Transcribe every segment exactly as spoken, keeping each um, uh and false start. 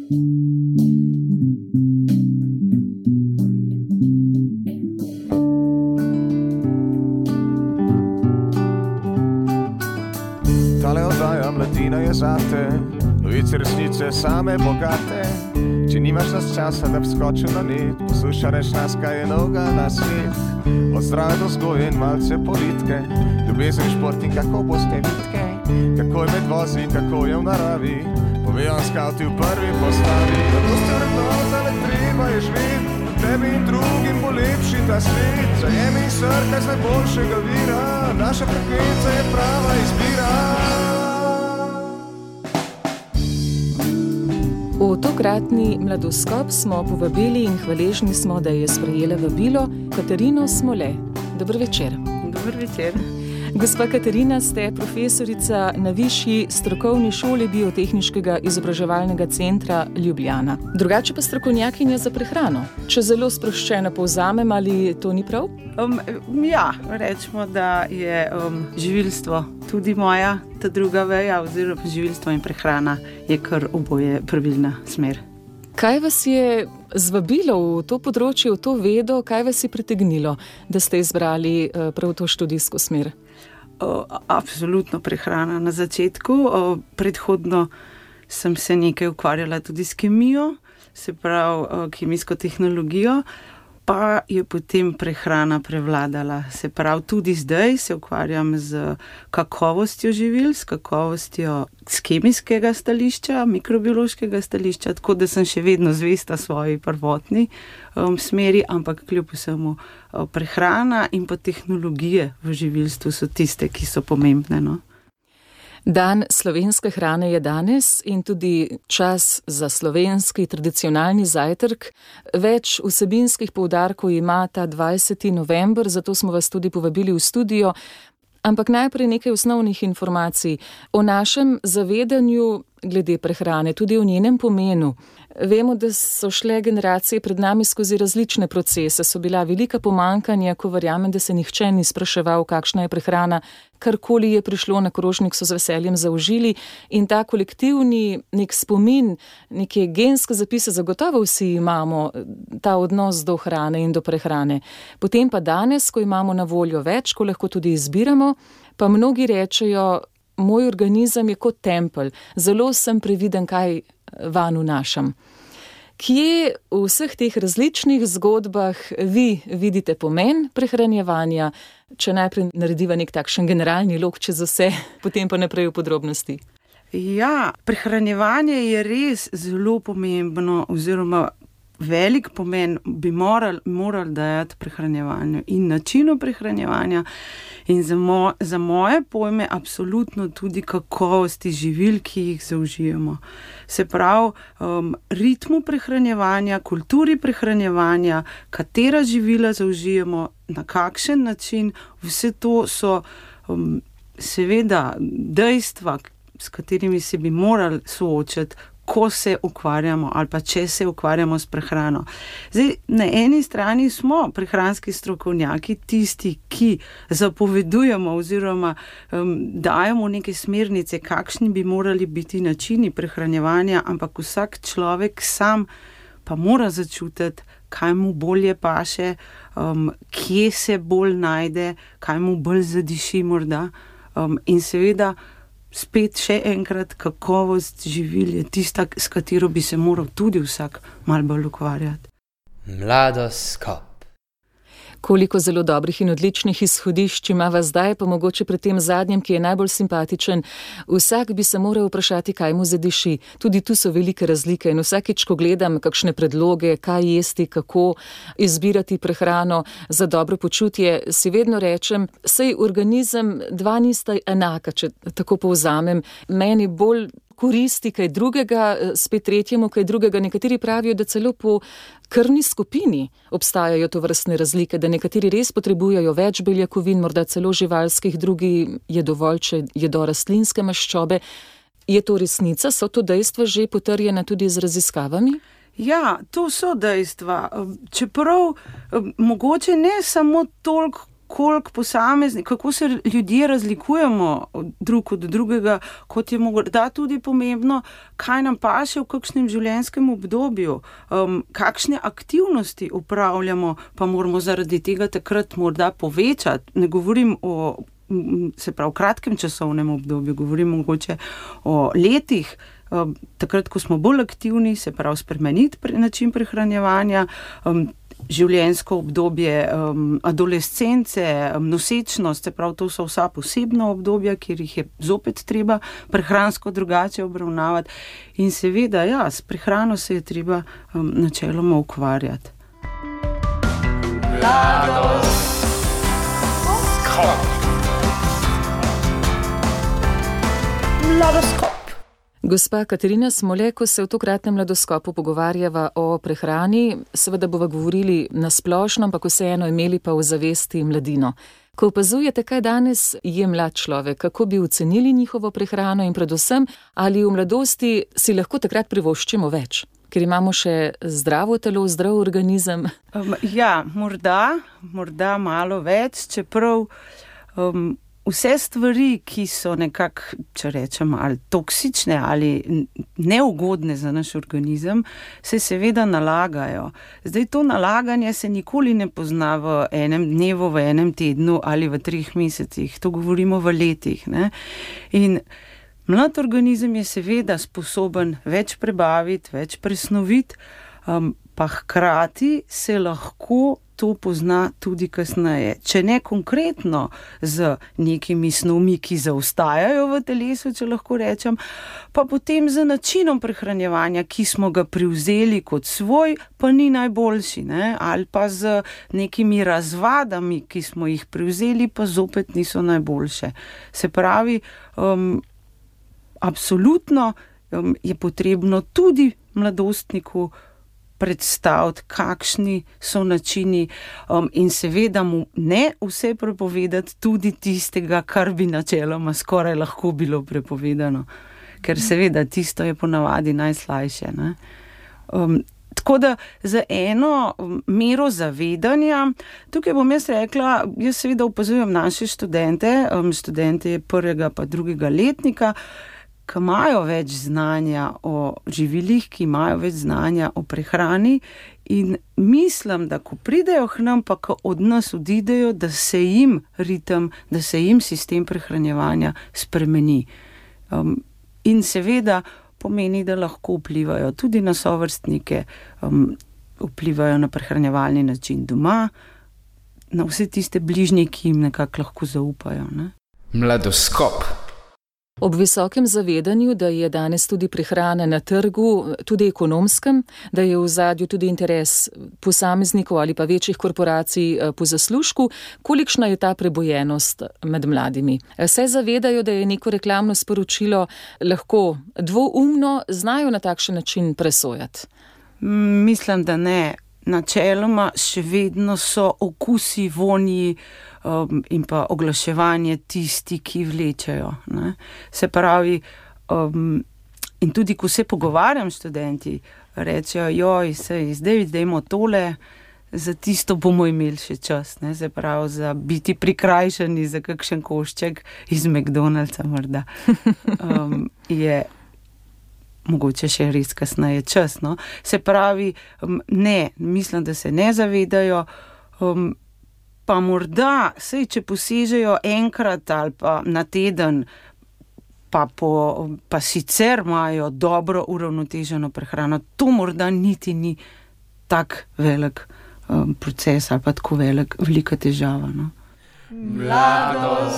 Tale oddaja Mladina je zate, novice resnice same bogate. Če nimaš nas časa, da bi skočil na net, poslušaš nas, kaj je novega na svet. Od zdrave do vzgoje in malce politike, ljubezen, šport in kako boste vitke, kako je med vozi, kako je v naravi, povejo skavti v prvi postavi. Zato ste vrednota, le treba je živeti, tebi in drugim bo lepši ta svet. Zajemi in srkaj z najboljšega vira, naša frekvenca je prava izbira. V tokratni Mladoskop smo povabili in hvaležni smo, da je sprejela vabilo Katarino Smole. Dober večer. Dober večer. Gospa Katarina, ste profesorica na Višji strokovni šoli Biotehniškega izobraževalnega centra Ljubljana. Drugače pa strokovnjakinja za prehrano. Če zelo sproščeno povzamem, ali to ni prav? Um, ja, rečemo, da je um, živilstvo tudi moja, ta druga veja, oziroma živilstvo in prehrana je kar oboje pravilna smer. Kaj vas je zvabilo v to področje, v to vedo, kaj vas je pritegnilo, da ste izbrali uh, prav to študijsko smer? O, absolutno prehrana na začetku. O, predhodno sem se nekaj ukvarjala tudi s kemijo, se pravi o, kemijsko tehnologijo, pa je potem prehrana prevladala. Se pravi, tudi zdaj se ukvarjam z kakovostjo živil, s kakovostjo z kemijskega stališča, mikrobiološkega stališča, tako da sem še vedno zvesta svoji prvotni um, smeri, ampak kljub vsemu um, prehrana in pa tehnologije v živilstvu so tiste, ki so pomembne, no. Dan slovenske hrane je danes in tudi čas za slovenski tradicionalni zajtrk. Več vsebinskih poudarkov ima ta dvajseti november, zato smo vas tudi povabili v studio. Ampak najprej nekaj osnovnih informacij o našem zavedanju glede prehrane, tudi o njenem pomenu. Vemo, da so šle generacije pred nami skozi različne procese, so bila velika pomankanja, ko verjamem, da se nihče ni spraševal, kakšna je prehrana, karkoli je prišlo na krožnik, so z veseljem zaužili in ta kolektivni nek spomin, neke genske zapise zagotovo vsi imamo, ta odnos do hrane in do prehrane. Potem pa danes, ko imamo na voljo več, ko lahko tudi izbiramo, pa mnogi rečejo, moj organizem je kot tempelj, zelo sem previden, kaj vanj vnašam. Kje v vseh teh različnih zgodbah vi vidite pomen prehranjevanja, če najprej narediva nek takšen generalni lok čez vse, potem pa naprej v podrobnosti? Ja, prehranjevanje je res zelo pomembno, oziroma velik pomen bi moral, moral dajati prehranjevanju in načinu prehranjevanja in za, mo, za moje pojme absolutno tudi kakovosti živil, ki jih zaužijemo. Se pravi, um, ritmu prehranjevanja, kulturi prehranjevanja, katera živila zaužijemo, na kakšen način, vse to so um, seveda dejstva, s katerimi se bi morali soočati, ko se ukvarjamo ali pa če se ukvarjamo s prehrano. Zdaj, na eni strani smo prehranski strokovnjaki, tisti, ki zapovedujemo oziroma um, dajemo neke smernice, kakšni bi morali biti načini prehranjevanja, ampak vsak človek sam pa mora začutiti, kaj mu bolje paše, um, kje se bolj najde, kaj mu bolj zadiši morda. Um, in seveda spet še enkrat, kakovost živil je tista, s katero bi se moral tudi vsak malo bolj ukvarjati. Mladoskop. Koliko zelo dobrih in odličnih izhodišč imava zdaj, pa mogoče pri tem zadnjem, ki je najbolj simpatičen. Vsak bi se moral vprašati, kaj mu zadiši. Tudi tu so velike razlike in vsakič, ko gledam kakšne predloge, kaj jesti, kako izbirati prehrano za dobro počutje, si vedno rečem, sej organizem dva nista enaka, če tako povzamem. Meni bolj koristi kaj drugega, spet tretjemu kaj drugega. Nekateri pravijo, da celo po krvni skupini obstajajo to vrstne razlike, da nekateri res potrebujejo več beljakovin, morda celo živalskih, drugi je dovolj, če jedo rastlinske maščobe. Je to resnica? So to dejstva že potrjena tudi z raziskavami? Ja, to so dejstva. Čeprav mogoče ne samo toliko koliko posamezni, kako se ljudje razlikujemo drug od drugega, kot je morda tudi pomembno, kaj nam paše v kakšnem življenjskem obdobju, um, kakšne aktivnosti upravljamo, pa moramo zaradi tega takrat morda povečati. Ne govorim o, se pravi, kratkem časovnem obdobju, govorim mogoče o letih, um, takrat, ko smo bolj aktivni, se pravi, spremeniti pre, način prehranjevanja, um, življenjsko obdobje um, adolescence, um, nosečnost, se pravi, to so vsa posebna obdobja, kjer jih je zopet treba prehransko drugače obravnavati. In seveda, ja, s prehrano se je treba um, načeloma ukvarjati. Mladoskop. Gospa Katarina Smole, ko se v tokratnem Mladoskopu pogovarjava o prehrani, seveda bova govorili na splošno, ampak vseeno imeli pa v zavesti mladino. Ko opazujete, kaj danes je mlad človek, kako bi ocenili njihovo prehrano in predvsem, ali v mladosti si lahko takrat privoščimo več, ker imamo še zdravo telo, zdrav organizem? Um, ja, morda, morda malo več, čeprav um, vse stvari, ki so nekako, če rečem, ali toksične ali neugodne za naš organizem, se seveda nalagajo. Zdaj, to nalaganje se nikoli ne pozna v enem dnevu, v enem tednu ali v treh mesecih. To govorimo v letih, ne? In mlad organizem je seveda sposoben več prebaviti, več presnoviti, um, pa hkrati se lahko to pozna tudi kasneje. Če ne konkretno z nekimi snovmi, ki zaostajajo v telesu, če lahko rečem, pa potem z načinom prehranjevanja, ki smo ga privzeli kot svoj, pa ni najboljši, ne? Ali pa z nekimi razvadami, ki smo jih privzeli, pa zopet niso najboljše. Se pravi, um, absolutno um, je potrebno tudi mladostniku predstaviti, kakšni so načini um, in seveda mu ne vse prepovedati, tudi tistega, kar bi načeloma skoraj lahko bilo prepovedano. Ker seveda tisto je ponavadi najslajše, ne? Um, tako da za eno mero zavedanja, tukaj bom jaz rekla, jaz seveda opazujem naše študente, um, študente prvega pa drugega letnika, ki imajo več znanja o živilih, ki imajo več znanja o prehrani in mislim, da ko pridejo k nam, pa ko od nas odidejo, da se jim ritem, da se jim sistem prehranjevanja spremeni. Um, in seveda pomeni, da lahko vplivajo tudi na sovrstnike, um, vplivajo na prehranjevalni način doma, na vse tiste bližnje, ki jim nekako lahko zaupajo, ne? Mladoskop. Ob visokem zavedanju, da je danes tudi prehrana na trgu, tudi ekonomskem, da je v ozadju tudi interes posameznikov ali pa večjih korporacij po zaslužku, kolikšna je ta prebojenost med mladimi? Se zavedajo, da je neko reklamno sporočilo lahko dvoumno, znajo na takšen način presojati? Mislim, da ne. Načeloma še vedno so okusi, vonji um, in pa oglaševanje tisti, ki vlečejo, ne? Se pravi, um, in tudi ko se pogovarjam s študenti, rečejo, joj, sej, zdaj dajmo tole, za tisto bomo imeli še čas, ne? Se pravi, za biti prikrajšani za kakšen košček iz McDonald'sa morda. Um, je mogoče še res kasneje čas, no. Se pravi, ne, mislim, da se ne zavedajo, um, pa morda, sej, če posežejo enkrat ali pa na teden, pa, po, pa sicer imajo dobro uravnoteženo prehrano, to morda niti ni tak velik um, proces ali pa tako velik, velika težava, no. Mladoskop.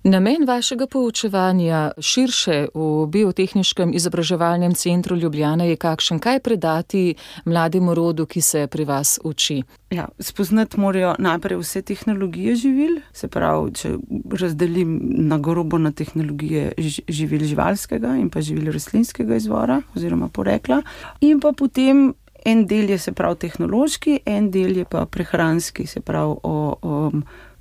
Namen vašega poučevanja širše v Biotehniškem izobraževalnem centru Ljubljana je kakšen? Kaj predati mlademu rodu, ki se pri vas uči? Ja, spoznati morajo najprej vse tehnologije živil, se pravi, če razdelim na grobo na tehnologije živil živalskega in pa živil rastlinskega izvora oziroma porekla. In pa potem en del je, se pravi, tehnološki, en del je pa prehranski, se pravi o, o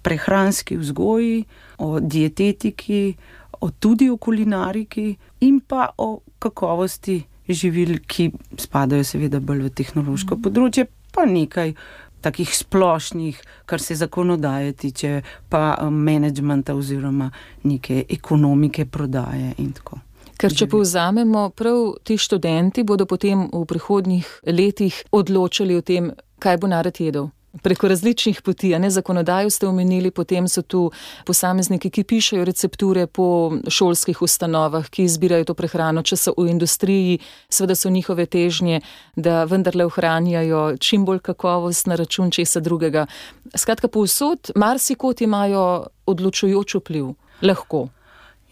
prehranski vzgoji, o dietetiki, o tudi o kulinariki in pa o kakovosti živil, ki spadajo seveda bolj v tehnološko področje, pa nekaj takih splošnih, kar se zakonodaje tiče, pa um, menedžmenta oziroma neke ekonomike, prodaje in tako. Ker če povzamemo, prav ti študenti bodo potem v prihodnjih letih odločali o tem, kaj bo narod jedel. Preko različnih poti, a ne, zakonodajo ste omenili, potem so tu posamezniki, ki pišejo recepture po šolskih ustanovah, ki izbirajo to prehrano, če so v industriji, seveda so njihove težnje, da vendarle ohranjajo čim bolj kakovost na račun česa drugega. Skratka, povsod marsikot imajo odločujoč vpliv. Lahko.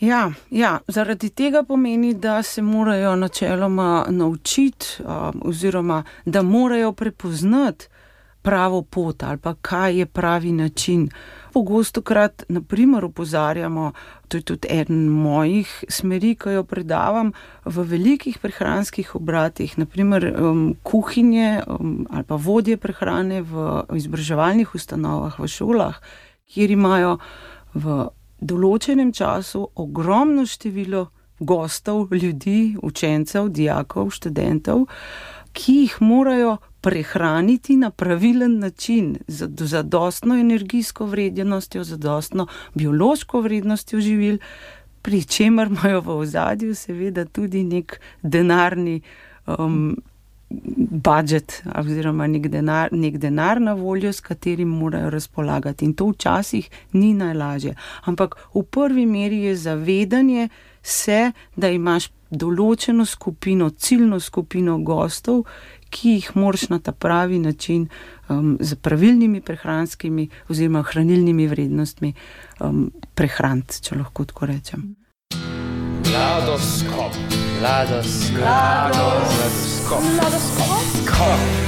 Ja, ja, zaradi tega pomeni, da se morajo načeloma naučiti um, oziroma da morajo prepoznati pravo pot ali pa kaj je pravi način. Pogostokrat, na primer, opozarjamo, to je tudi eden mojih smeri, ko jo predavam, v velikih prehranskih obratih, na primer um, kuhinje um, ali pa vodje prehrane v izobraževalnih ustanovah, v šolah, kjer imajo v določenem času ogromno število gostov, ljudi, učencev, dijakov, študentov, ki jih morajo prehraniti na pravilen način, z zadostno energijsko vrednostjo, zadostno biološko vrednostjo živil, pri čemer imajo v ozadju seveda tudi nek denarni um, budžet oziroma nek denar, nek denar na voljo, s katerim morajo razpolagati. In to včasih ni najlažje. Ampak v prvi meri je zavedanje se, da imaš določeno skupino, ciljno skupino gostov, ki jih moraš na ta pravi način um, z pravilnimi prehranskimi oziroma hranilnimi vrednostmi um, prehraniti, če lahko tako rečem. Mladoskop. Mladoskop. Mladoskop. Mladoskop.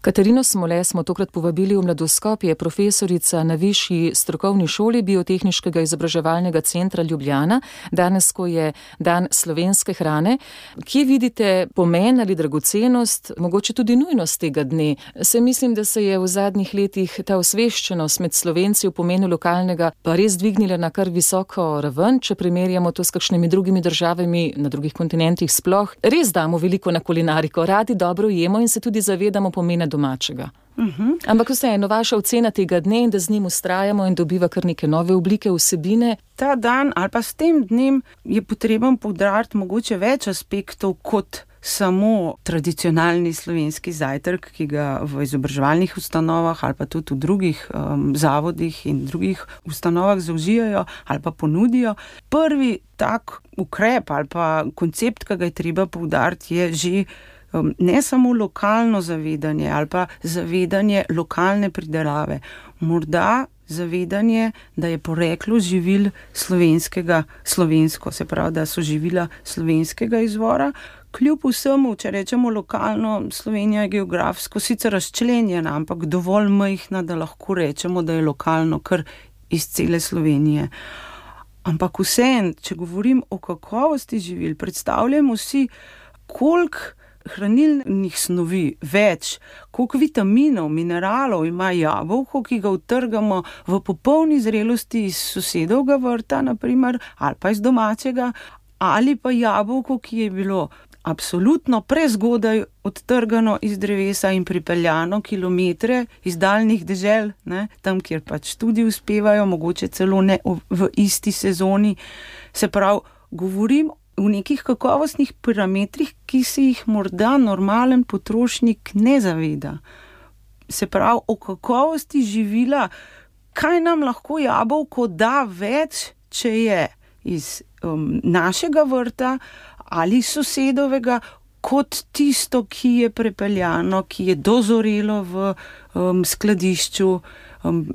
Katarino Smole smo tokrat povabili v Mladoskop, je profesorica na Višji strokovni šoli Biotehniškega izobraževalnega centra Ljubljana, danes, ko je dan slovenske hrane. Kje vidite pomen ali dragocenost, mogoče tudi nujnost tega dne? Se mislim, da se je v zadnjih letih ta osveščenost med Slovenci v pomenu lokalnega pa res dvignila na kar visoko raven, če primerjamo to s kakšnimi drugimi državami na drugih kontinentih sploh. Res damo veliko na kulinariko, radi dobro jemo in se tudi zavedamo pomena domačega. Uh-huh. Ampak vseeno, vaša ocena tega dne in da z njim ustrajamo in dobiva kar neke nove oblike, vsebine. Ta dan ali pa s tem dnem je potreben poudariti mogoče več aspektov kot samo tradicionalni slovenski zajtrk, ki ga v izobraževalnih ustanovah ali pa tudi v drugih um, zavodih in drugih ustanovah zaužijajo ali pa ponudijo. Prvi tak ukrep ali pa koncept, ki ga je treba poudariti, je že ne samo lokalno zavedanje ali pa zavedanje lokalne pridelave, morda zavedanje, da je poreklo živil slovenskega, slovensko, se pravi, da so živila slovenskega izvora. Kljub vsemu, če rečemo lokalno, Slovenija je geografsko sicer razčlenjena, ampak dovolj majhna, da lahko rečemo, da je lokalno kar iz cele Slovenije. Ampak vseeno, če govorim o kakovosti živil, predstavljamo si, koliko hranilnih snovi več, koliko vitaminov, mineralov ima jabolko, ki ga utrgamo v popolni zrelosti iz sosedovega vrta, naprimer, ali pa iz domačega, ali pa jabolko, ki je bilo absolutno prezgodaj odtrgano iz drevesa in pripeljano kilometre iz daljnih dežel, ne, tam, kjer pač tudi uspevajo, mogoče celo ne v isti sezoni. Se pravi, govorim v nekih kakovostnih parametrih, ki se jih morda normalen potrošnik ne zaveda. Se pravi, o kakovosti živila, kaj nam lahko jabolko da več, če je iz um, našega vrta ali sosedovega, kot tisto, ki je prepeljano, ki je dozorelo v um, skladišču, um,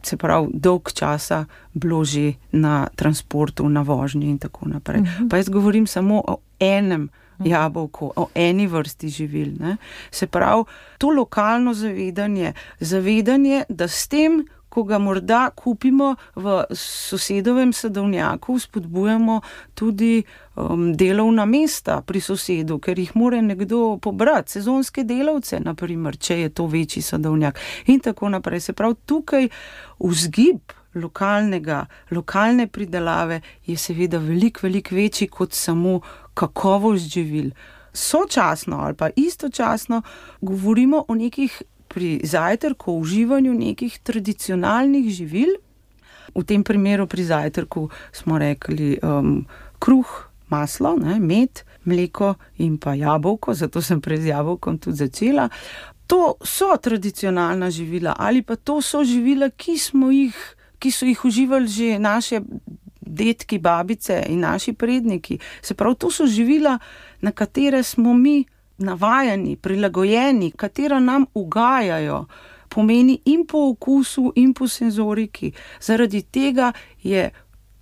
se pravi, dolg časa bilo že na transportu, na vožnji in tako naprej. Uh-huh. Pa jaz govorim samo o enem jabolku, o eni vrsti živil. Ne? Se pravi, to lokalno zavedanje, zavedanje, da s tem, ko ga morda kupimo v sosedovem sadovnjaku, spodbujamo tudi um, delovna mesta pri sosedu, ker jih mora nekdo pobrati, sezonske delavce, naprimer, če je to večji sadovnjak in tako naprej. Se pravi, tukaj vzgib lokalnega, lokalne pridelave je seveda veliko, veliko večji kot samo kakovost živil. sočasno ali pa istočasno govorimo o nekih pri zajtrku, o uživanju nekih tradicionalnih živil. V tem primeru pri zajtrku smo rekli um, kruh, maslo, ne, med, mleko in pa jabolko, zato sem pred jabolkom tudi začela. To so tradicionalna živila ali pa to so živila, ki smo jih, ki so jih uživali že naše dedki, babice in naši predniki. Se pravi, to so živila, na katere smo mi navajeni, prilagojeni, katera nam ugajajo, pomeni in po okusu in po senzoriki. Zaradi tega je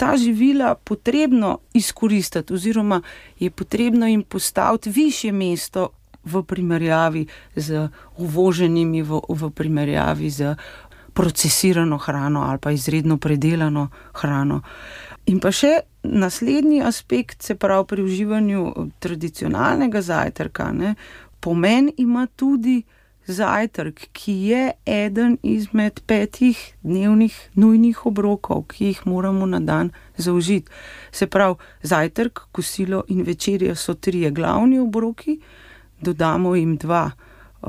ta živila potrebno izkoristiti oziroma je potrebno jim postaviti višje mesto v primerjavi z uvoženimi, v, v primerjavi z procesirano hrano ali pa izredno predelano hrano. In pa še naslednji aspekt, se pravi pri uživanju tradicionalnega zajtrka, ne, pomen ima tudi zajtrk, ki je eden izmed petih dnevnih nujnih obrokov, ki jih moramo na dan zaužiti. Se pravi, zajtrk, kosilo in večerja so trije glavni obroki, dodamo jim dva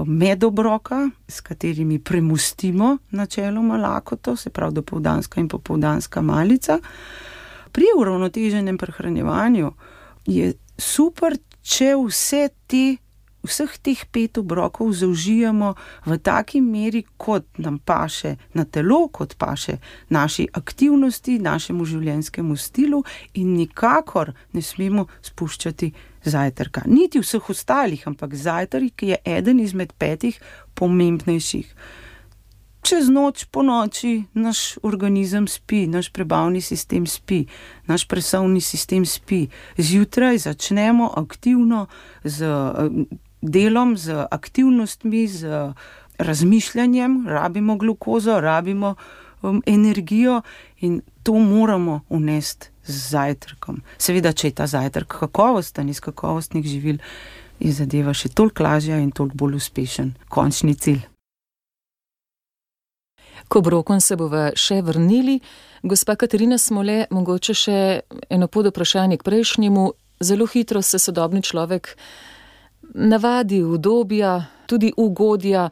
medobroka, s katerimi premustimo načeloma lakoto, se pravi dopoldanska in popoldanska malica. Pri uravnoteženem prehranjevanju je super, če vse te vseh teh pet obrokov zaužijemo v taki meri, kot nam paše na telo, kot paše naši aktivnosti, našemu življenjskemu stilu in nikakor ne smemo spuščati zajtrka. Niti vseh ostalih, ampak zajtrk je eden izmed petih pomembnejših. Čez noč, po noči, naš organizem spi, naš prebavni sistem spi, naš presovni sistem spi. Zjutraj začnemo aktivno z delom, z aktivnostmi, z razmišljanjem, rabimo glukozo, rabimo um, energijo in to moramo unesti z zajtrkom. Seveda, če je ta zajtrk kakovosten, iz kakovostnih živil, je zadeva še toliko lažja in toliko bolj uspešen končni cilj. K obrokom se bova še vrnili. Gospa Katarina Smole, mogoče še eno podvprašanje k prejšnjemu. Zelo hitro se sodobni človek navadi udobja, tudi ugodja.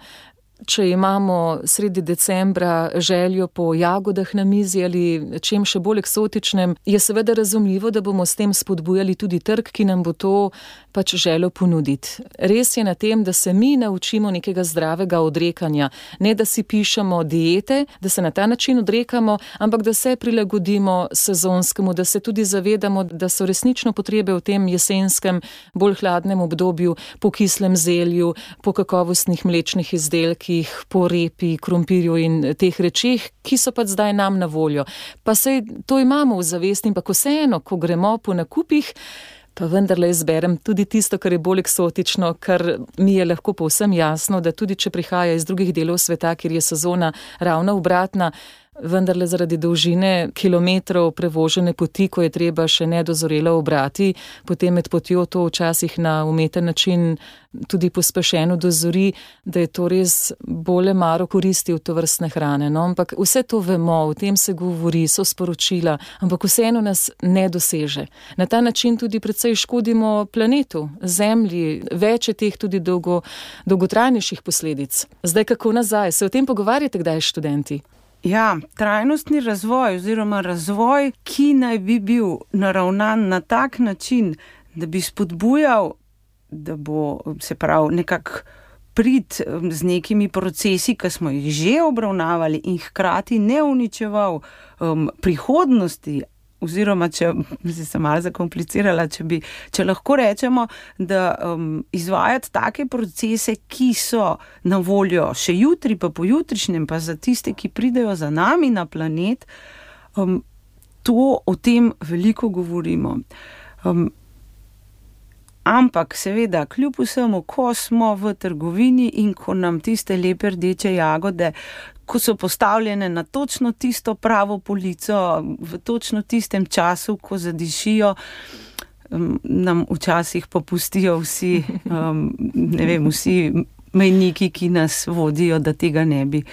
Če imamo sredi decembra željo po jagodah na mizi ali čem še bolj eksotičnem, je seveda razumljivo, da bomo s tem spodbujali tudi trg, ki nam bo to pač željo ponuditi. Res je na tem, da se mi naučimo nekega zdravega odrekanja, ne da si pišemo diete, da se na ta način odrekamo, ampak da se prilagodimo sezonskemu, da se tudi zavedamo, da so resnično potrebe v tem jesenskem, bolj hladnem obdobju po kislem zelju, po kakovostnih mlečnih izdelkih, po repi, krompirju in teh rečeh, ki so pa zdaj nam na voljo. Pa sej to imamo v zavesti, ampak vseeno, ko gremo po nakupih, pa vendarle izberem tudi tisto, kar je bolj eksotično, kar mi je lahko povsem jasno, da tudi če prihaja iz drugih delov sveta, kjer je sezona ravno obratna, vendarle zaradi dolžine kilometrov prevožene poti, ko je treba še nedozorelo obrati, potem med potjo to včasih na umeten način tudi pospešeno dozori, da je to res bolj maro koristi v tovrstne hrane. No, ampak vse to vemo, o tem se govori, so sporočila, ampak vseeno nas ne doseže. Na ta način tudi precej škodimo planetu, zemlji, več je teh tudi dolgo, dolgotrajnejših posledic. Zdaj kako nazaj? Se o tem pogovarjate kdaj študenti? Ja, trajnostni razvoj oziroma razvoj, ki naj bi bil naravnan na tak način, da bi spodbujal, da bo se pravi nekako prid z nekimi procesi, ki smo jih že obravnavali in hkrati ne uničeval um, prihodnosti, oziroma, če se sem malo zakomplicirala, če, bi, če lahko rečemo, da um, izvajati take procese, ki so na voljo še jutri, pa pojutrišnjem, pa za tiste, ki pridejo za nami na planet, um, to o tem veliko govorimo. Um, ampak seveda, kljub vsemu, ko smo v trgovini in ko nam tiste lepe rdeče jagode, ko so postavljene na točno tisto pravo polico, v točno tistem času, ko zadišijo, nam včasih popustijo vsi, ne vem, vsi mejniki, ki nas vodijo, da tega ne bi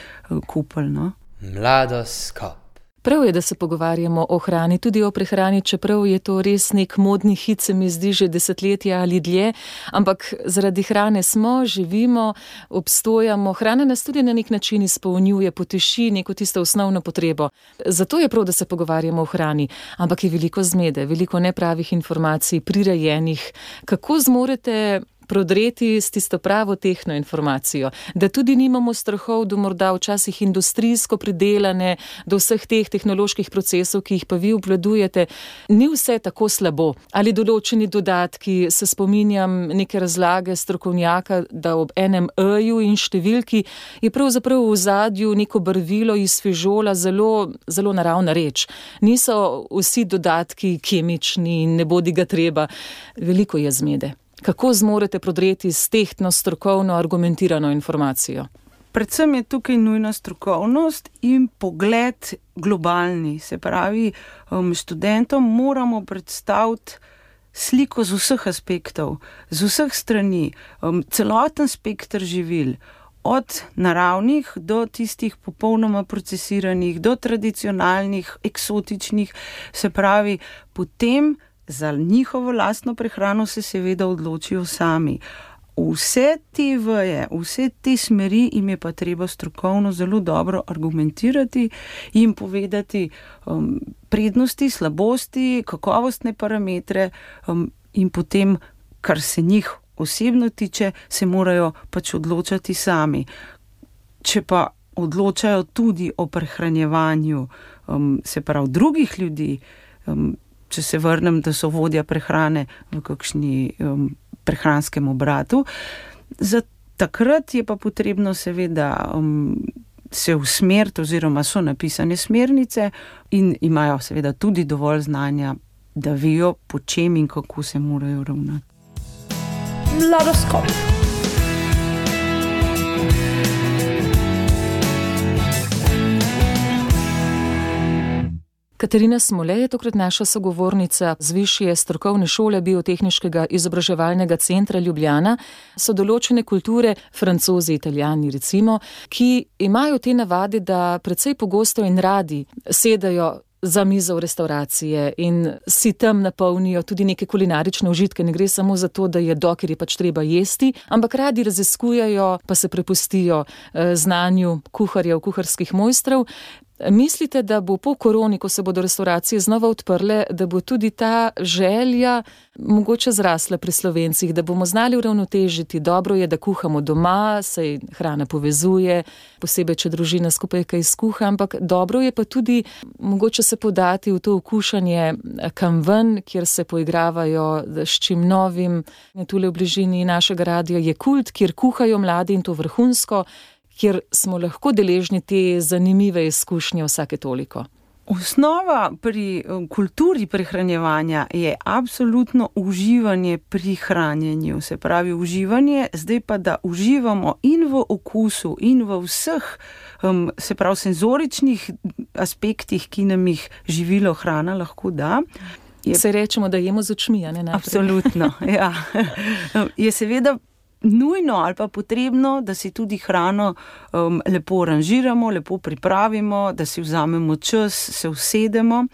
kupili. No? Mladoskop. Prav je, da se pogovarjamo o hrani, tudi o prehrani, čeprav je to res nek modni hit, se mi zdi že desetletja ali dlje, ampak zaradi hrane smo, živimo, obstojamo. Hrana nas tudi na nek način izpolnjuje, poteši neko tisto osnovno potrebo. Zato je prav, da se pogovarjamo o hrani, ampak je veliko zmede, veliko nepravih informacij, prirejenih. Kako zmorete prodreti s tisto pravo tehno informacijo, da tudi nimamo strahov do morda včasih industrijsko pridelane, do vseh teh tehnoloških procesov, ki jih pa vi obvladujete, ni vse tako slabo. Ali določeni dodatki, se spominjam neke razlage strokovnjaka, da ob enem E-ju in številki je pravzaprav v ozadju neko barvilo iz fižola, zelo, zelo naravna reč. Niso vsi dodatki kemični in ne bodi ga treba. Veliko je zmede. Kako zmorete prodreti s tehtno, strokovno, argumentirano informacijo? Predvsem je tukaj nujna strokovnost in pogled globalni. Se pravi, študentom moramo predstaviti sliko z vseh aspektov, z vseh strani, celoten spekter živil, od naravnih do tistih popolnoma procesiranih, do tradicionalnih, eksotičnih. Se pravi, potem za njihovo lastno prehrano se seveda odločijo sami. Vse te veje, vse te smeri jim je pa treba strokovno zelo dobro argumentirati, jim povedati um, prednosti, slabosti, kakovostne parametre um, in potem, kar se njih osebno tiče, se morajo pač odločati sami. Če pa odločajo tudi o prehranjevanju, um, se pravi drugih ljudi, um, če se vrnem, da so vodja prehrane v kakšni um, prehranskem obratu. Za takrat je pa potrebno seveda um, se usmeriti, oziroma so napisane smernice in imajo seveda tudi dovolj znanja, da vejo, po čem in kako se morajo ravnati. Mladoskop. Katarina Smole je tokrat naša sogovornica z Višje strokovne šole Biotehniškega izobraževalnega centra Ljubljana. So določene kulture, Francozi, Italijani recimo, ki imajo te navade, da precej pogosto in radi sedajo za mizo v restauracije in si tam napolnijo tudi neke kulinarične užitke. Ne gre samo za to, da jedo, ker je pač treba jesti, ampak radi raziskujejo, pa se prepustijo znanju kuharjev, kuharskih mojstrov. Mislite, da bo po koroni, ko se bodo restauracije znova odprle, da bo tudi ta želja mogoče zrasla pri Slovencih, da bomo znali uravnotežiti? Dobro je, da kuhamo doma, saj hrana povezuje, posebej, če družina skupaj kaj skuha, ampak dobro je pa tudi mogoče se podati v to okušanje kam ven, kjer se poigravajo s čim novim. Tule v bližini našega radia je Kult, kjer kuhajo mladi in to vrhunsko, kjer smo lahko deležni te zanimive izkušnje vsake toliko. Osnova pri kulturi prehranjevanja je absolutno uživanje pri hranjenju. Se pravi, uživanje, zdaj pa, da uživamo in v okusu, in v vseh, um, se pravi, senzoričnih aspektih, ki nam jih živilo, hrana lahko da. Je, se rečemo, da jemo z očmi, a ne naprej. Absolutno, ja. Je seveda nujno ali pa potrebno, da si tudi hrano um, lepo ranžiramo, lepo pripravimo, da si vzamemo čas, se usedemo.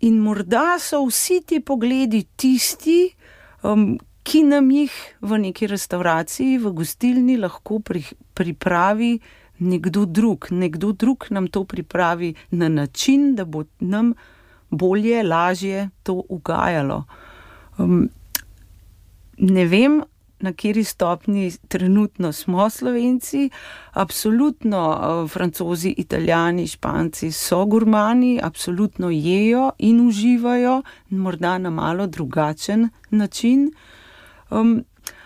In morda so vsi ti pogledi tisti, um, ki nam jih v neki restauraciji, v gostilni lahko pri, pripravi nekdo drug. Nekdo drug nam to pripravi na način, da bo nam bolje, lažje to ugajalo. Um, ne vem, na kateri stopni trenutno smo Slovenci. Absolutno uh, Francozi, Italijani, Španci so gurmani, absolutno jejo in uživajo, morda na malo drugačen način. Um,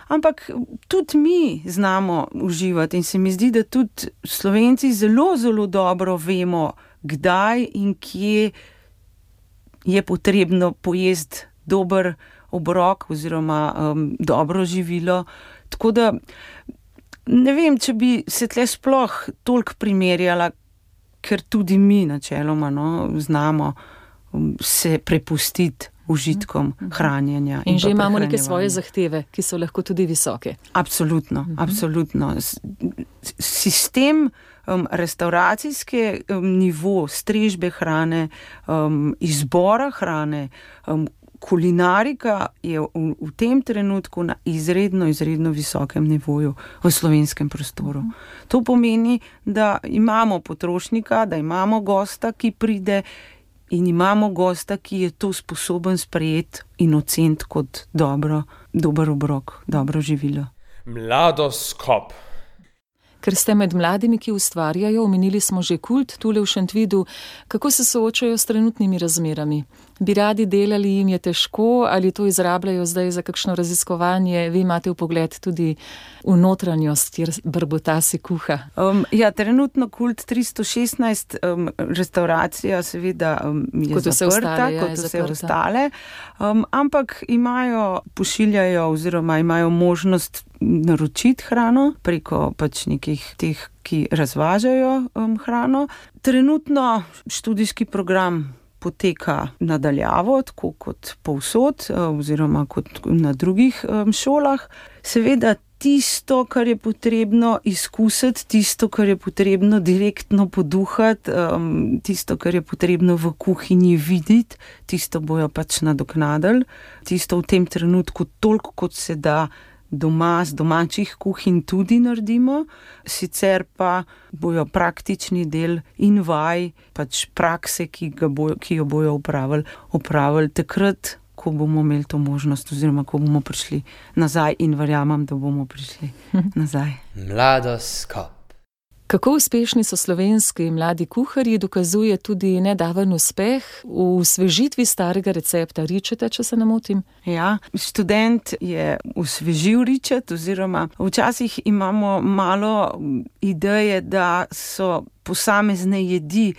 ampak tudi mi znamo uživati in se mi zdi, da tudi Slovenci zelo, zelo dobro vemo, kdaj in kje je potrebno pojesti dober obrok oziroma um, dobro živilo. Tako da ne vem, če bi se tle sploh toliko primerjala, ker tudi mi načeloma no, znamo um, se prepustiti užitkom hranjenja. In, in že imamo neke svoje zahteve, ki so lahko tudi visoke. Absolutno, uh-huh. absolutno. sistem um, restauracijske um, nivo, strežbe hrane, um, izbora hrane, um, kulinarika je v, v tem trenutku na izredno, izredno visokem nivoju v slovenskem prostoru. To pomeni, da imamo potrošnika, da imamo gosta, ki pride in imamo gosta, ki je to sposoben sprejeti in oceniti kot dobro, dober obrok, dobro živilo. Mladoskop. Ker ste med mladimi, ki ustvarjajo, omenili smo že Kult tule v Šentvidu, kako se soočajo s trenutnimi razmerami? Bi radi delali, jim je težko ali to izrabljajo zdaj za kakšno raziskovanje? Vi imate vpogled tudi v notranjost, kjer brbota si kuha. Um, ja, trenutno Kult tristo šestnajst, um, restauracija seveda um, je kot zaprta, ostale, ja, kot vse zaprta. ostale, um, ampak imajo, pošiljajo oziroma imajo možnost naročiti hrano preko pač nekih teh, ki razvažajo um, hrano. Trenutno študijski program poteka nadaljavo, tako kot povsod oziroma kot na drugih um, šolah. Seveda tisto, kar je potrebno izkusiti, tisto, kar je potrebno direktno poduhati, um, tisto, kar je potrebno v kuhinji videti, tisto bojo pač nadoknadili. Tisto v tem trenutku toliko, kot se da doma z domačih kuhinj tudi naredimo, sicer pa bojo praktični del in vaj, pač prakse, ki, ga bojo, ki jo bojo upravili, upravili takrat, ko bomo imeli to možnost oziroma ko bomo prišli nazaj in verjamem, da bomo prišli nazaj. Mladoskop. Kako uspešni so slovenski mladi kuharji, dokazuje tudi nedaven uspeh v osvežitvi starega recepta ričeta, če se ne motim. Ja, študent je osvežil ričet oziroma včasih imamo malo ideje, da so posamezne jedi,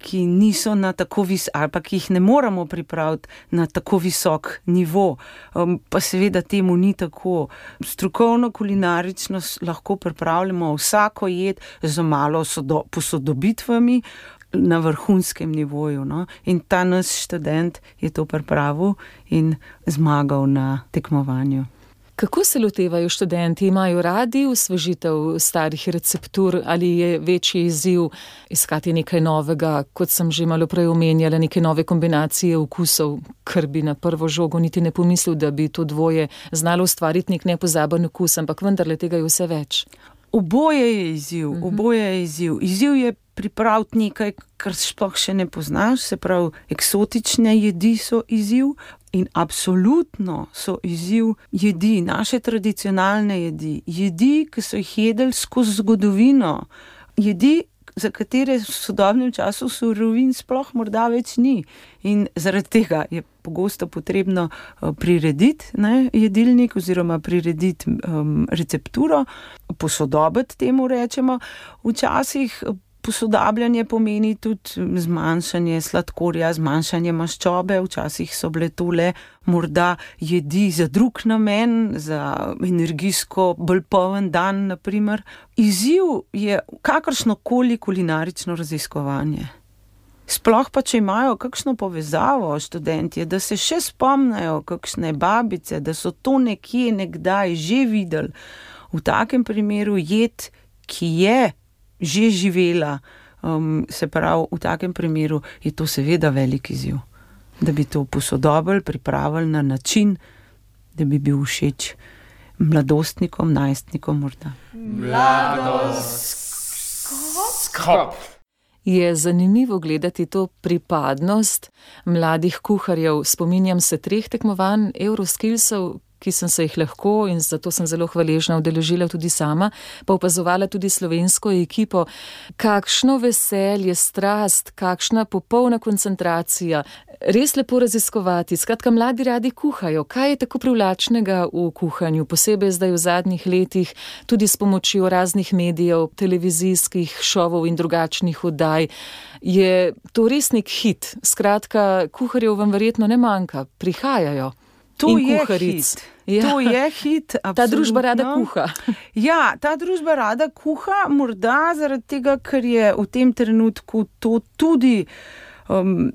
ki niso na tako vis, ali pa ki jih ne moramo pripraviti na tako visok nivo, um, pa seveda temu ni tako. Strokovno kulinarično lahko pripravljamo vsako jed z malo sodo, posodobitvami na vrhunskem nivoju. No? In ta naš študent je to pripravil in zmagal na tekmovanju. Kako se lotevajo študenti? Imajo radi osvežitev starih receptur ali je večji izziv iskati nekaj novega, kot sem že malo prej omenjala, neke nove kombinacije okusov, kar bi na prvo žogo niti ne pomislil, da bi to dvoje znalo ustvariti nek nepozaben okus, ampak vendarle tega je vse več. Oboje je izziv, uh-huh. oboje je izziv. Izziv je pripraviti nekaj, kar sploh še ne poznaš, se pravi, eksotične jedi so izziv. In absolutno so izziv jedi, naše tradicionalne jedi, jedi, ki so jih jedli skozi zgodovino, jedi, za katere v sodobnem času surovin sploh morda več ni. In zaradi tega je pogosto potrebno prirediti ne, jedilnik oziroma prirediti um, recepturo, posodobiti temu rečemo. Včasih posodabljanje pomeni tudi zmanjšanje sladkorja, zmanjšanje maščobe, včasih so bile tole morda jedi za drug namen, za energijsko bolj poln dan, naprimer. Izziv je kakršnokoli kulinarično raziskovanje. Sploh pa, če imajo kakšno povezavo študentje, da se še spomnajo kakšne babice, da so to nekje nekdaj že videli. V takem primeru jed, ki je že živela, um, se pravi, v takem primeru je to seveda velik izziv. Da bi to posodobili, pripravili na način, da bi bil všeč mladostnikom, najstnikom morda. Mladoskop. Je zanimivo gledati to pripadnost mladih kuharjev. Spominjam se treh tekmovanj Euroskillsov, ki sem se jih lahko in zato sem zelo hvaležna udeležila tudi sama, pa opazovala tudi slovensko ekipo. Kakšno veselje, strast, kakšna popolna koncentracija. Res lepo raziskovati. Skratka, mladi radi kuhajo. Kaj je tako privlačnega v kuhanju, posebej zdaj v zadnjih letih, tudi s pomočjo raznih medijev, televizijskih šovov in drugačnih oddaj? Je to res nek hit? Skratka, kuharjev vam verjetno ne manjka, prihajajo. To in je kuharic. hit. Ja. To je hit, absolutno. Ta družba rada kuha. Ja, ta družba rada kuha, morda zaradi tega, ker je v tem trenutku to tudi um,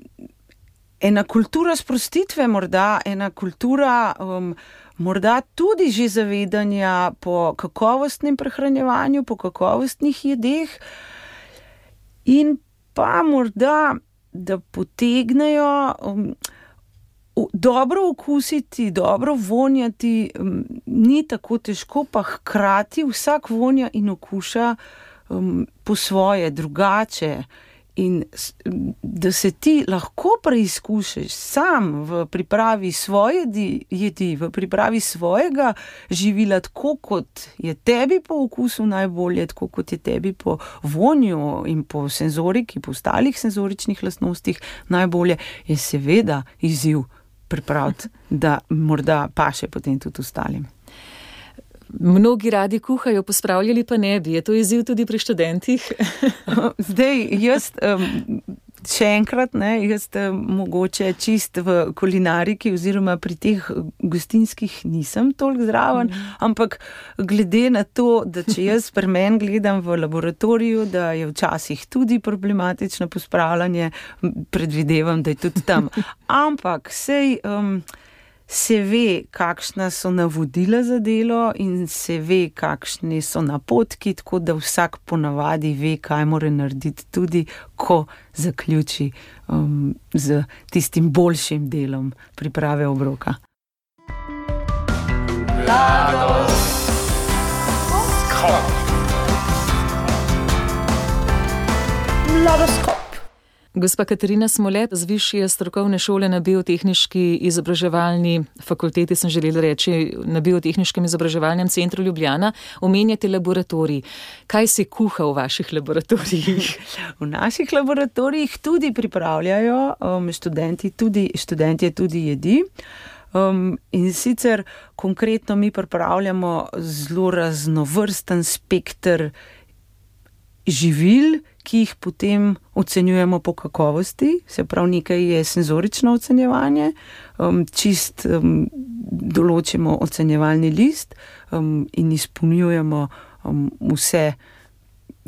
ena kultura sprostitve, morda ena kultura um, morda tudi že zavedanja po kakovostnem prehranjevanju, po kakovostnih jedeh in pa morda, da potegnejo um, dobro okusiti, dobro vonjati, um, ni tako težko, pa hkrati vsak vonja in okuša um, po svoje, drugače. In da se ti lahko preizkušaš sam v pripravi svoje jedi, v pripravi svojega živila, tako kot je tebi po okusu najbolje, tako kot je tebi po vonju in po senzoriki, po ostalih senzoričnih lastnostih najbolje, je seveda izziv pripraviti, da morda paše potem tudi ostalim. Mnogi radi kuhajo, pospravljali pa ne bi. Je to izziv tudi pri študentih? Zdaj, jaz um, še enkrat, ne, jaz um, mogoče čist v kulinariki oziroma pri teh gostinskih nisem toliko zraven, mm. ampak glede na to, da če jaz pri meni gledam v laboratoriju, da je včasih tudi problematično pospravljanje, predvidevam, da je tudi tam. Ampak sej... Um, se ve, kakšna so navodila za delo in se ve, kakšni so napotki, tako da vsak ponavadi ve, kaj mora narediti, tudi ko zaključi um, z tistim boljšim delom priprave obroka. Mladoskop. Mladoskop. Gospa Katarina Smolet z Višje strokovne šole na Biotehniški izobraževalni fakulteti, sem želela reči, na Biotehniškem izobraževalnem centru Ljubljana, omenjate laboratorij. Kaj se kuha v vaših laboratorijih? V naših laboratorijih tudi pripravljajo um, študenti, tudi, študentje tudi jedi. Um, in sicer konkretno mi pripravljamo zelo raznovrsten spekter živil, ki jih potem ocenjujemo po kakovosti, se pravi nekaj je senzorično ocenjevanje, um, čist um, določimo ocenjevalni list um, in izpolnjujemo um, vse,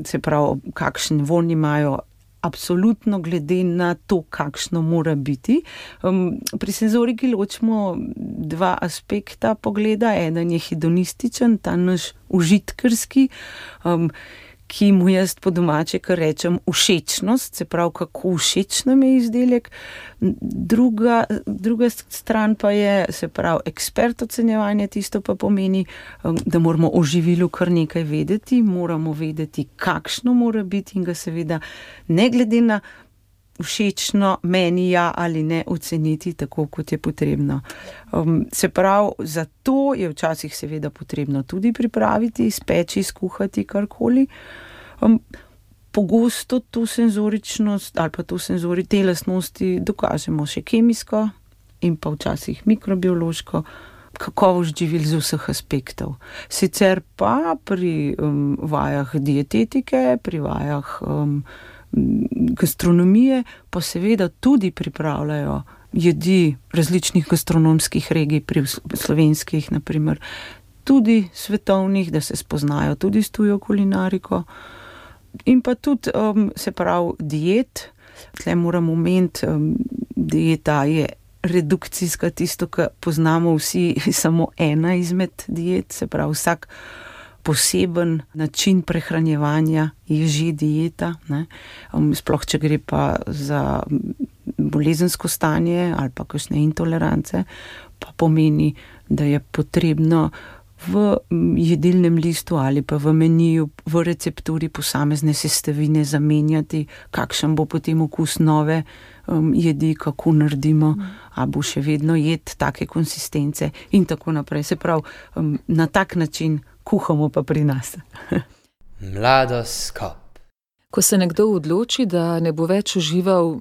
se pravi, kakšen vonj imajo, absolutno glede na to, kakšno mora biti. Um, pri senzoriki ločimo dva aspekta pogleda, eden je hedonističen, ta naš užitkarski, um, ki mu jaz po domače, kar rečem, všečnost, se pravi, kako všeč nam je izdelek. Druga, druga stran pa je, se pravi, ekspert ocenjevanje, tisto pa pomeni, da moramo o živilu kar nekaj vedeti, moramo vedeti, kakšno mora biti in ga seveda ne glede na všečno meni ja ali ne oceniti tako, kot je potrebno. Um, se pravi, zato je včasih seveda potrebno tudi pripraviti, speči, skuhati karkoli. Um, pogosto to senzoričnost ali pa to senzori, te lastnosti dokažemo še kemijsko in pa včasih mikrobiološko, kakovost živil z vseh aspektov. Sicer pa pri um, vajah dietetike, pri vajah um, gastronomije pa seveda tudi pripravljajo jedi različnih gastronomskih regij, pri slovenskih naprimer, tudi svetovnih, da se spoznajo tudi s tujo kulinariko. In pa tudi, um, se pravi, diet. Tle moramo omeniti, um, dieta je redukcijska, tisto, kar poznamo vsi, samo ena izmed diet, se pravi, vsak poseben način prehranjevanja je že dieta, ne? Um, sploh, če gre pa za bolezensko stanje ali pa kakšne intolerance, pa pomeni, da je potrebno v jedilnem listu ali pa v meniju, v recepturi posamezne sestavine zamenjati, kakšen bo potem okus nove um, jedi, kako naredimo, mm. a bo še vedno jed take konsistence in tako naprej. Se pravi, um, na tak način kuhamo pa pri nas. Mladoskop. Ko se nekdo odloči, da ne bo več užival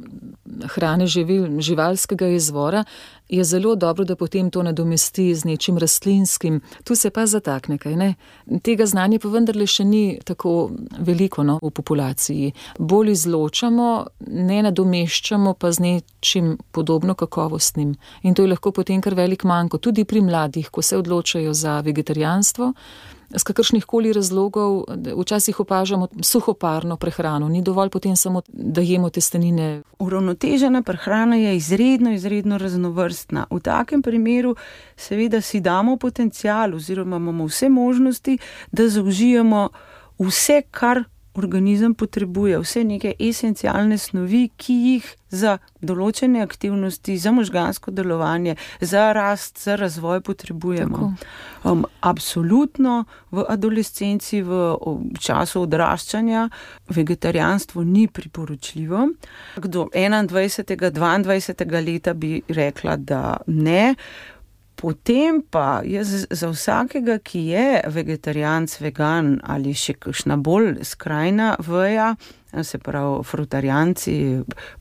hrane živil, živalskega izvora, je zelo dobro, da potem to nadomesti z nečim rastlinskim. Tu se pa zatakne, kaj ne? Tega znanja pa vendarle še ni tako veliko, no, v populaciji. Bolj izločamo, ne nadomeščamo pa z nečim podobno kakovostnim. In to je lahko potem kar velik manko, tudi pri mladih, ko se odločajo za vegetarijanstvo z kakršnih koli razlogov včasih opažamo suhoparno prehrano. Ni dovolj potem samo, da jemo testenine. Uravnotežena prehrana je izredno, izredno raznovrstna. V takem primeru seveda si damo potencial oziroma imamo vse možnosti, da zaužijemo vse, kar organizem potrebuje, vse neke esencialne snovi, ki jih za določene aktivnosti, za možgansko delovanje, za rast, za razvoj potrebujemo. Um, absolutno v adolescenci, v, v času odraščanja vegetarijanstvo ni priporočljivo. Do enaindvajsetega, dvaindvajsetega leta bi rekla, da ne. Potem pa jaz za vsakega, ki je vegetarijanc, vegan ali še kakšna bolj skrajna veja, se pravi frutarijanci,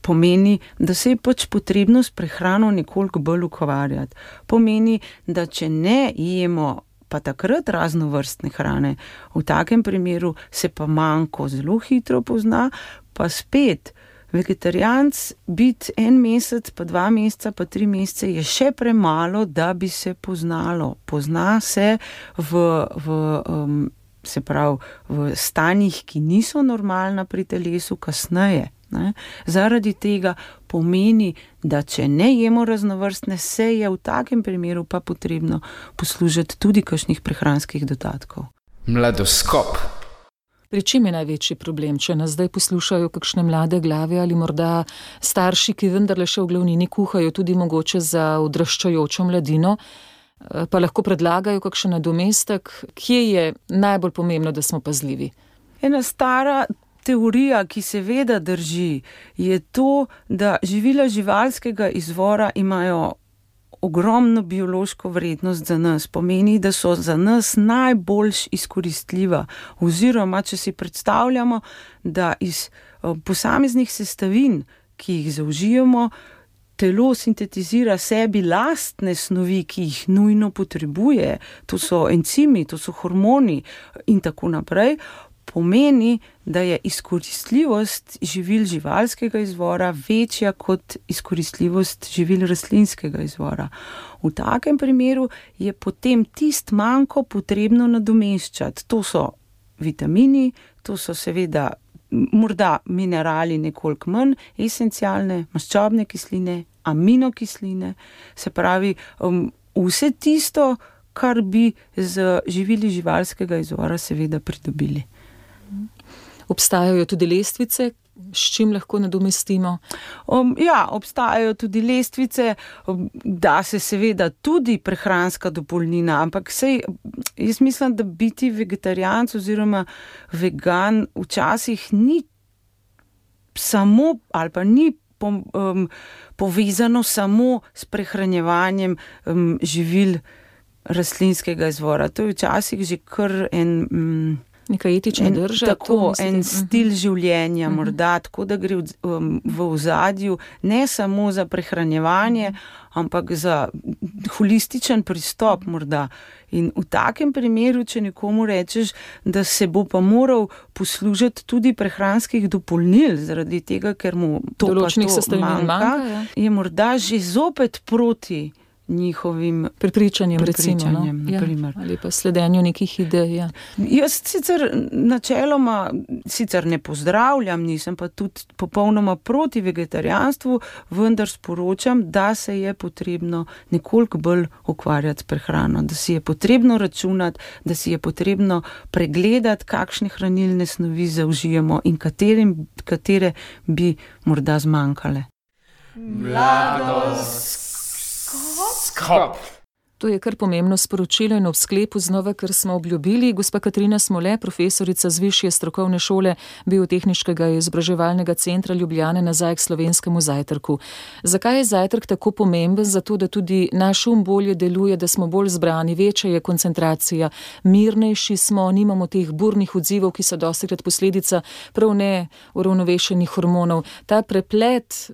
pomeni, da se je pač potrebno s prehrano nekoliko bolj ukvarjati. Pomeni, da če ne jemo pa takrat raznovrstne hrane, v takem primeru se pa manko zelo hitro pozna, pa spet vegetarijanc biti en mesec, pa dva meseca, pa tri mesece je še premalo, da bi se poznalo. Pozna se v, v, um, se pravi, v stanjih, ki niso normalna pri telesu, kasneje. Ne? Zaradi tega pomeni, da če ne jemo raznovrstne, se je v takem primeru pa potrebno poslužiti tudi kakšnih prehranskih dodatkov. Mladoskop. Pri čem je največji problem, če nas zdaj poslušajo kakšne mlade glave ali morda starši, ki vendarle še v glavnini kuhajo tudi mogoče za odraščajočo mladino, pa lahko predlagajo kakšen nadomestek, kje je najbolj pomembno, da smo pazljivi? Ena stara teorija, ki seveda drži, je to, da živila živalskega izvora imajo ogromno biološko vrednost za nas, pomeni, da so za nas najboljš izkoristljiva. Oziroma, če si predstavljamo, da iz posameznih sestavin, ki jih zaužijemo, telo sintetizira sebi lastne snovi, ki jih nujno potrebuje, to so encimi, to so hormoni in tako naprej, pomeni, da je izkoristljivost živil živalskega izvora večja kot izkoristljivost živil rastlinskega izvora. V takem primeru je potem tist manko potrebno nadomeščati. To so vitamini, to so seveda morda minerali nekoliko manj, esencialne, maščobne kisline, aminokisline, se pravi um, vse tisto, kar bi z živili živalskega izvora seveda pridobili. Obstajajo tudi lestvice, s čim lahko nadomestimo? Um, ja, obstajajo tudi lestvice, um, da se seveda tudi prehranska dopolnilna, ampak sej, jaz mislim, da biti vegetarijanc oziroma vegan včasih ni samo ali pa ni po, um, povezano samo s prehranjevanjem um, živil rastlinskega izvora. To je včasih že kar en... Um, Neka etična drža. Tako, en stil življenja uh-huh. morda, tako da gre v, um, v ozadju ne samo za prehranjevanje, ampak za holističen pristop morda. In v takem primeru, če nekomu rečeš, da se bo pa moral poslužiti tudi prehranskih dopolnil, zaradi tega, ker mu to pa to manjka, manjka je morda že zopet proti njihovim prepričanjem, prepričanjem recimo, no? Ja, ali pa sledenju nekih idej. Ja. Jaz sicer načeloma sicer ne pozdravljam, nisem pa tudi popolnoma proti vegetarijanstvu, vendar sporočam, da se je potrebno nekoliko bolj ukvarjati s prehrano, da si je potrebno računati, da si je potrebno pregledati, kakšne hranilne snovi zaužijemo in katerim, katere bi morda zmanjkale. Mladost. Skop. To je kar pomembno sporočilo in ob sklepu znova, ker smo obljubili. Gospa Katarina Smole, profesorica z Višje strokovne šole Biotehniškega izobraževalnega centra Ljubljane, nazaj k slovenskemu zajtrku. Zakaj je zajtrk tako pomemben? Zato, da tudi naš um bolje deluje, da smo bolj zbrani, večja je koncentracija, mirnejši smo, nimamo teh burnih odzivov, ki so dostikrat posledica prav ne uravnovešenih hormonov. Ta preplet,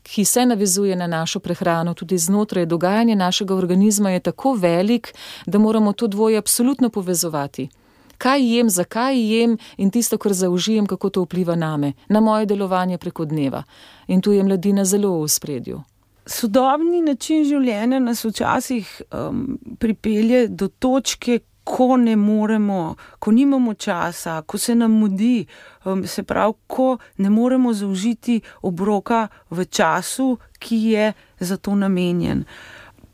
ki se navezuje na našo prehrano, tudi znotraj dogajanja našega organizma, je tako velik, da moramo to dvoje absolutno povezovati. Kaj jem, zakaj jem in tisto, kar zaužijem, kako to vpliva name, na moje delovanje preko dneva. In tu je mladina zelo v ospredju. Sodobni način življenja nas včasih um, pripelje do točke, ko ne moremo, ko nimamo časa, ko se nam mudi, se pravi, ko ne moremo zaužiti obroka v času, ki je za to namenjen.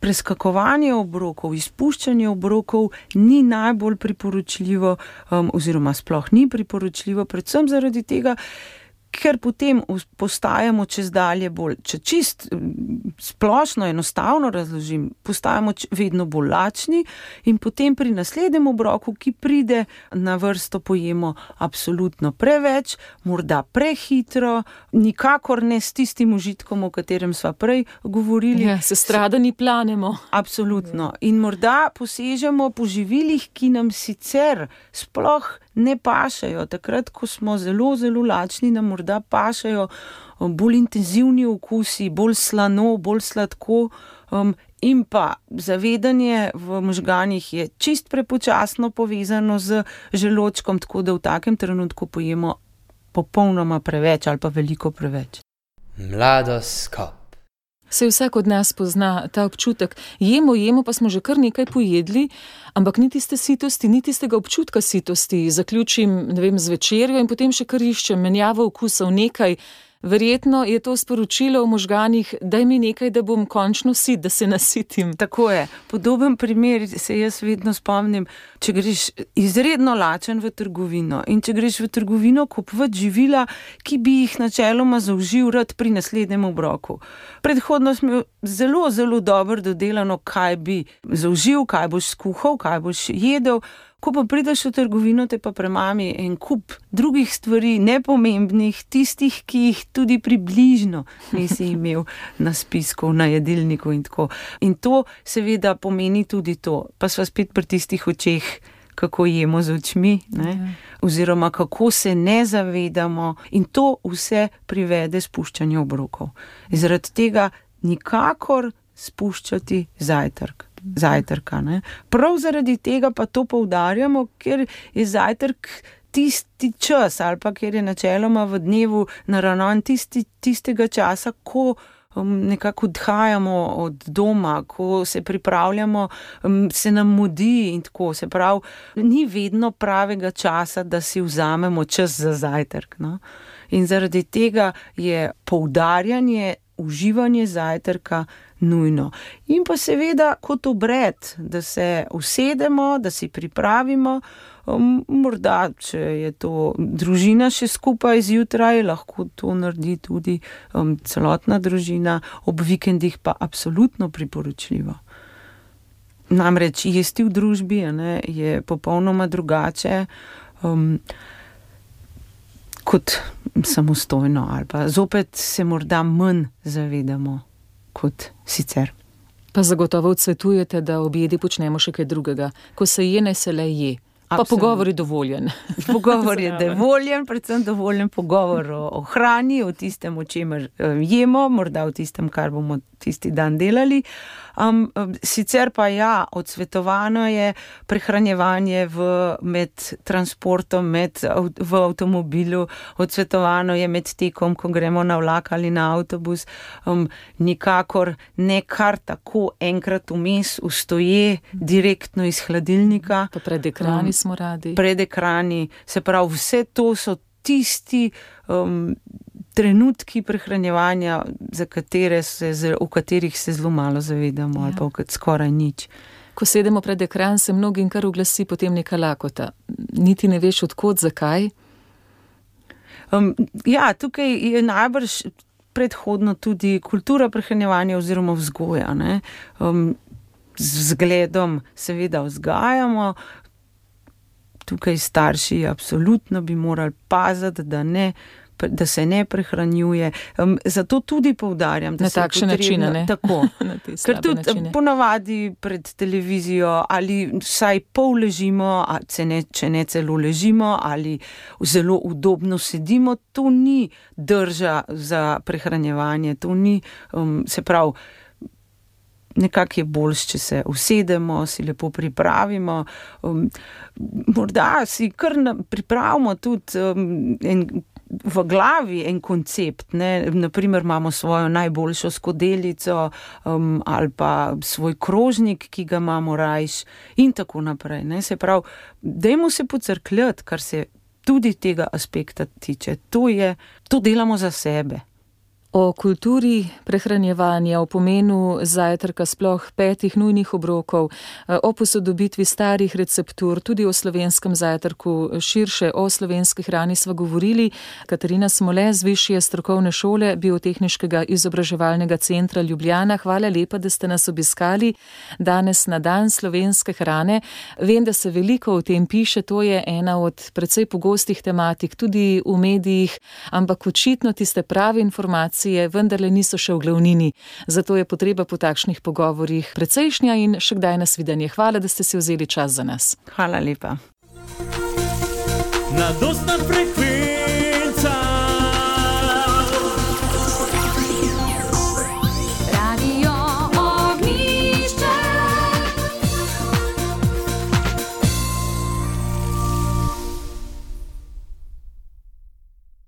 Preskakovanje obrokov, izpuščanje obrokov ni najbolj priporočljivo oziroma sploh ni priporočljivo, predvsem zaradi tega, ker potem postajamo čez dalje bolj, če čist splošno, enostavno razložim, postajamo vedno bolj lačni in potem pri naslednjem obroku, ki pride na vrsto, pojemo absolutno preveč, morda prehitro, nikakor ne s tistim užitkom, o katerem sva prej govorili. Ja, se stradani planemo. Absolutno. In morda posežemo po živilih, ki nam sicer sploh ne pašajo. Takrat, ko smo zelo, zelo lačni, nam morda pašajo bolj intenzivni okusi, bolj slano, bolj sladko um, in pa zavedanje v možganih je čist prepočasno povezano z želodčkom, tako da v takem trenutku pojemo popolnoma preveč ali pa veliko preveč. Mladoskop. Se vsak od nas pozna ta občutek. Jemo, jemo, pa smo že kar nekaj pojedli, ampak ni tiste sitosti, ni tistega občutka sitosti. Zaključim, ne vem, z večerjo in potem še kar iščem menjavo okusov nekaj. Verjetno je to sporočilo v možganih, daj mi nekaj, da bom končno sit, da se nasitim. Tako je. Podoben primer se jaz vedno spomnim, če greš izredno lačen v trgovino in če greš v trgovino kupovat živila, ki bi jih načeloma zaužil rad pri naslednjem obroku. Predhodno smo zelo, zelo dobro dodelano, kaj bi zaužil, kaj boš skuhal, kaj boš jedel. Ko pa prideš v trgovino, te pa premami en kup drugih stvari, nepomembnih, tistih, ki jih tudi približno nisi imel na spisku, na jedilniku in tako. In to seveda pomeni tudi to, pa sva spet pri tistih očeh, kako jemo z očmi, ne? Oziroma kako se ne zavedamo in to vse privede spuščanje obrokov. Zaradi tega nikakor spuščati zajtrk. Zajtrka, ne? Prav zaradi tega pa to poudarjamo, ker je zajtrk tisti čas ali pa ker je načeloma v dnevu naravnan tisti, tistega časa, ko um, nekako odhajamo od doma, ko se pripravljamo, um, se nam mudi in tako. Se pravi, ni vedno pravega časa, da si vzamemo čas za zajtrk. No? In zaradi tega je poudarjanje, uživanje zajtrka nujno. In pa seveda kot obred, da se usedemo, da si pripravimo, um, morda, če je to družina še skupaj zjutraj, lahko to naredi tudi um, celotna družina, ob vikendih pa absolutno priporočljivo. Namreč jesti v družbi, ne, je popolnoma drugače um, kot samostojno ali pa zopet se morda manj zavedamo kot sicer. Pa zagotovo odsvetujete, da ob jedi počnemo še kaj drugega. Ko se je, naj se le je. Pa pogovor je dovoljen. Pogovor je dovoljen, predvsem dovoljen pogovor o, o hrani, o tistem, o čemer jemo, morda o tistem, kar bomo tisti dan delali. Um, sicer pa ja, odsvetovano je prehranjevanje v, med transportom, med, v avtomobilu, odsvetovano je med tekom, ko gremo na vlak ali na avtobus, um, nikakor ne kar tako enkrat vmes ustoje direktno iz hladilnika. Pa pred ekrani um, smo radi. Pred ekrani, se pravi, vse to so tisti um, trenutki prehranjevanja, za katere se, v katerih se zelo malo zavedamo, ja. Ali pa skoraj nič. Ko sedemo pred ekran, se mnogim kar oglasi potem neka lakota. Niti ne veš odkot, zakaj? Um, ja, tukaj je najbrž predhodno tudi kultura prehranjevanja oziroma vzgoja. Ne? Um, z vzgledom seveda vzgajamo, tukaj starši absolutno bi morali paziti, da ne da se ne prehranjuje. Um, zato tudi poudarjam, da na se takšen način, ne? Tako. Ker tudi načine. Ponavadi pred televizijo ali vsaj pol ležimo, a ne, če ne celo ležimo ali zelo udobno sedimo, to ni drža za prehranjevanje, to ni, um, se pravi, nekako je boljš, če se usedemo, si lepo pripravimo. Um, morda si kar na, pripravimo tudi um, en v glavi en koncept, ne, naprimer imamo svojo najboljšo skodelico um, ali pa svoj krožnik, ki ga imamo rajš in tako naprej. Ne. Se pravi, dajmo se pocrkljati, kar se tudi tega aspekta tiče. To je, to delamo za sebe. O kulturi prehranjevanja, o pomenu zajtrka, sploh petih nujnih obrokov, o posodobitvi starih receptur, tudi o slovenskem zajtrku, širše o slovenski hrani sva govorili. Katarina Smole z Višje strokovne šole Biotehniškega izobraževalnega centra Ljubljana. Hvala lepa, da ste nas obiskali danes na dan slovenske hrane. Vem, da se veliko o tem piše, to je ena od precej pogostih tematik, tudi v medijih, ampak očitno tiste prave informacije vendarle niso še v glavnini. Zato je potreba po takšnih pogovorih precejšnja in še kdaj nasvidenje. Hvala, da ste si vzeli čas za nas. Hvala lepa. Na dostan frekvenci